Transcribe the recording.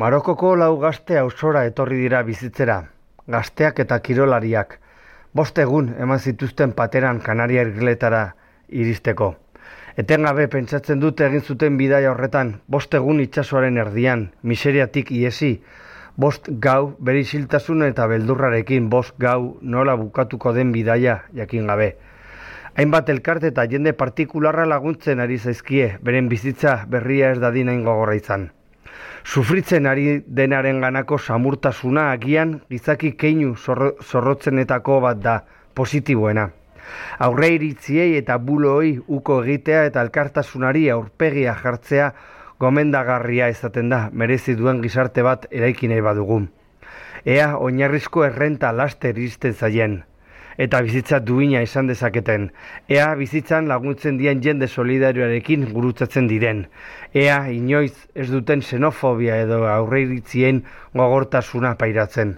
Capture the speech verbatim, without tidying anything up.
Marokoko lau gazte auzora etorri dira bizitzera, gazteak eta kirolariak, bost egun eman zituzten pateran Kanaria irgeletara iristeko. Etengabe pentsatzen dute egin zuten bidaia horretan, bost egun itsasoaren erdian, miseriatik iesi, bost gau bere isiltasun eta beldurrarekin, bost gau nola bukatuko den bidaia jakin gabe. Hainbat elkarte eta jende partikularra laguntzen ari zaizkie, beren bizitza berria ez dadin hain gogorra izan. Sufritzen ari denaren ganako samurtasuna agian gizaki keinu zorro, zorrotzenetako bat da, positiboena. Aurre iritziei eta bulooi uko egitea eta elkartasunari aurpegia jartzea gomendagarria izaten da, merezi duen gizarte bat eraiki nahi badugu. Ea oinarrizko errenta laster iristen zaien, eta bizitza duina izan dezaketen. Ea bizitzan laguntzen dien jende solidarioarekin gurutzatzen diren. Ea inoiz ez duten xenofobia edo aurreiritzien gogortasuna pairatzen.